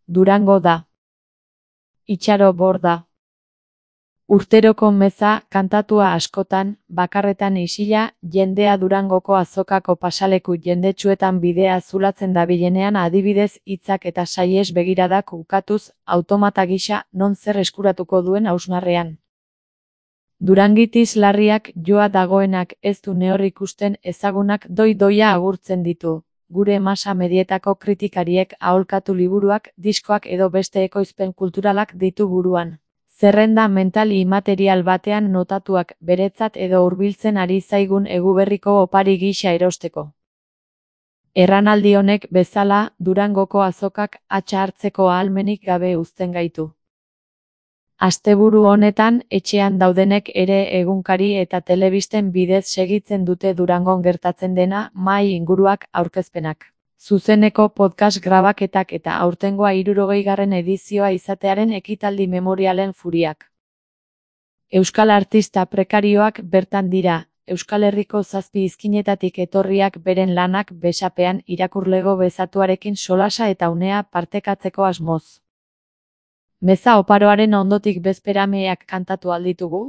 Durango da. Itxaro Borda. Urteroko meza, kantatua askotan, bakarretan isila, jendea Durangoko azokako pasaleku jendetsuetan bidea zulatzen dabilenean adibidez hitzak eta saies begiradak ukatuz, automata gisa, non zer eskuratuko duen hausnarrean. Durangitis larriak joa dagoenak ez du nehor ikusten ezagunak doi-doia agurtzen ditu. Gure masa medietako kritikariek aholkatu liburuak, diskoak edo beste ekoizpen kulturalak ditu buruan. Zerrenda mental imaterial batean notatuak beretzat edo hurbiltzen ari zaigun eguberriko opari gisa erosteko. Erranaldi honek bezala, Durangoko azokak hatsa hartzeko ahalmenik gabe uzten gaitu. Asteburu honetan, etxean daudenek ere egunkari eta telebisten bidez segitzen dute Durangon gertatzen dena, mahai inguruak, aurkezpenak. Zuzeneko podcast grabaketak eta aurtengoa 60. edizioa izatearen ekitaldi memorialen furiak. Euskal artista prekarioak bertan dira, Euskal Herriko 7 izkinetatik etorriak beren lanak besapean irakurlego bezatuarekin solasa eta unea partekatzeko asmoz. Meza oparoaren ondotik bezperameak kantatu alditugu?